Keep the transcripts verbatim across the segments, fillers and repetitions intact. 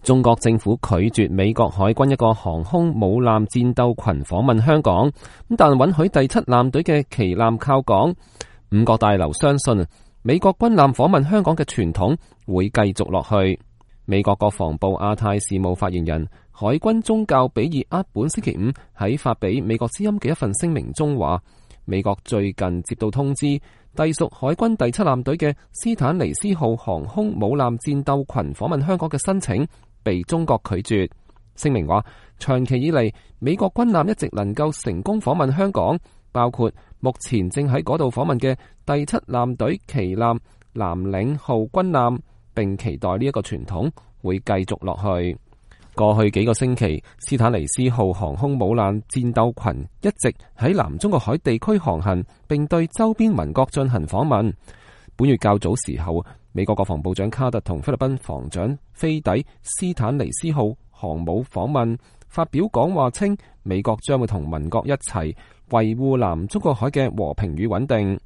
中國政府拒絕美國海軍一個航空母艦戰鬥群訪問香港，但允許第七艦隊嘅旗艦靠港。五角大樓相信美國軍艦訪問香港嘅傳統會繼續落去。美國國防部亞太事務發言人海軍中校比爾厄本星期五喺發俾美國之音嘅一份聲明中話，美國最近接到通知，隸屬海軍第七艦隊嘅斯坦尼斯號航空母艦戰鬥群訪問香港嘅申請被中國拒絕。聲明話，長期以嚟美國軍艦一直能夠成功訪問香港，包括目前正喺嗰度訪問嘅第七艦隊旗艦藍嶺號軍艦，並期待呢一個傳統會繼續落去。過去幾個星期，斯坦尼斯號航空母艦戰鬥群一直喺南中國海地區航行，並對周邊鄰國進行訪問。本月較早時候，美國國防部長卡特同菲律賓防長菲底斯坦尼斯號航母訪問，發表講話稱，美國將會同鄰國一齊維護南中國海嘅和平與穩定。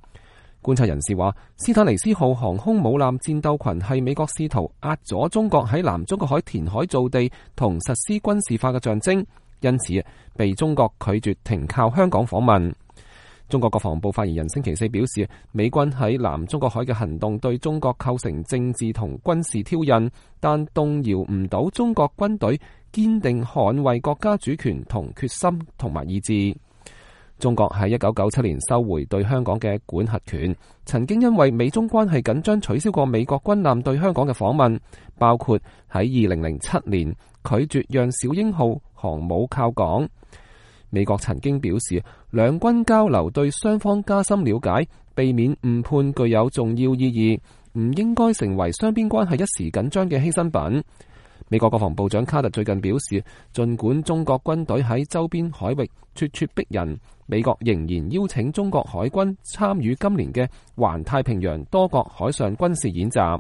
觀察人士話，斯坦尼斯號航空母艦戰鬥群係美國試圖壓阻中國喺南中國海填海造地同實施軍事化嘅象徵，因此被中國拒絕停靠香港訪問。中國國防部發言人星期四表示，美軍喺南中國海嘅行動對中國構成政治同軍事挑釁，但動搖唔到中國軍隊堅定捍衛國家主權同決心同埋意志。中國喺一九九七年收回對香港嘅管轄權，曾經因為美中關係緊張取消過美國軍艦對香港嘅訪問，包括喺二零零七年拒絕讓小鷹號航母靠港。美國曾經表示，兩軍交流對雙方加深了解，避免誤判具有重要意義，唔應該成為雙邊關係一時緊張嘅犧牲品。美國國防部長卡特最近表示，儘管中國軍隊喺周邊海域咄咄逼人，美國仍然邀請中國海軍參與今年嘅環太平洋多國海上軍事演習。